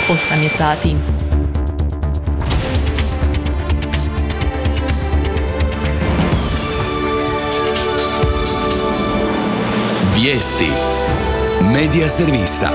8 je sati. Vijesti Medija servisa.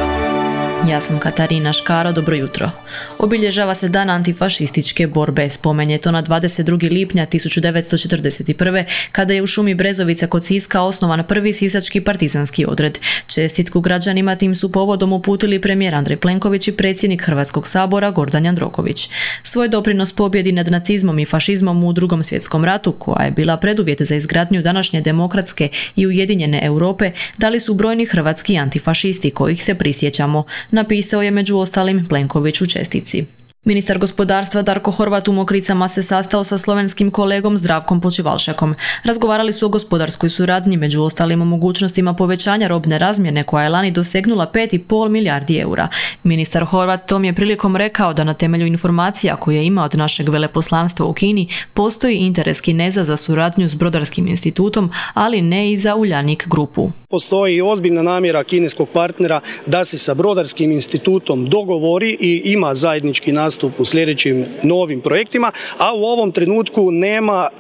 Ja sam Katarina Škaro, dobro jutro. Obilježava se dan antifašističke borbe. Spomen je to na 22. lipnja 1941. kada je u šumi Brezovica kod Siska osnovan prvi sisački partizanski odred. Čestitku građanima tim su povodom uputili premijer Andrej Plenković i predsjednik Hrvatskog sabora Gordan Jandroković. Svoj doprinos pobjedi nad nacizmom i fašizmom u Drugom svjetskom ratu, koja je bila preduvjet za izgradnju današnje demokratske i ujedinjene Europe, dali su brojni hrvatski antifašisti kojih se prisjećamo, napisao je među ostalim Plenković u čestitci. Ministar gospodarstva Darko Horvat u Mokricama se sastao sa slovenskim kolegom Zdravkom Počevalšakom. Razgovarali su o gospodarskoj suradnji, među ostalim o mogućnostima povećanja robne razmjene koja je lani dosegnula 5,5 milijardi eura. Ministar Horvat tom je prilikom rekao da na temelju informacija koje ima od našeg veleposlanstva u Kini postoji interes Kineza za suradnju s Brodarskim institutom, ali ne i za Uljanik grupu. Postoji ozbiljna namjera kineskog partnera da se sa Brodarskim institutom dogovori i ima zajednički nastup u sljedećim novim projektima, a u ovom trenutku nema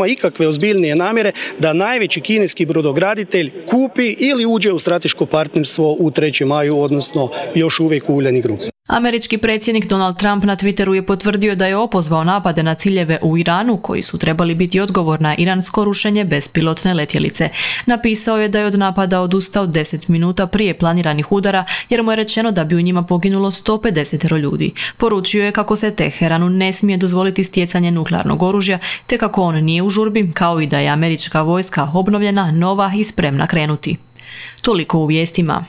ikakve ozbiljnije namjere da najveći kineski brodograditelj kupi ili uđe u strateško partnerstvo u 3. maju, odnosno još uvijek u Uljanik grupi. Američki predsjednik Donald Trump na Twitteru je potvrdio da je opozvao napade na ciljeve u Iranu koji su trebali biti odgovor na iransko rušenje bespilotne letjelice. Napisao je da je od napada odustao 10 minuta prije planiranih udara jer mu je rečeno da bi u njima poginulo 150 ljudi. Poručio je kako se Teheranu ne smije dozvoliti stjecanje nuklearnog oružja te kako on nije u žurbi, kao i da je američka vojska obnovljena, nova i spremna krenuti. Toliko u vijestima.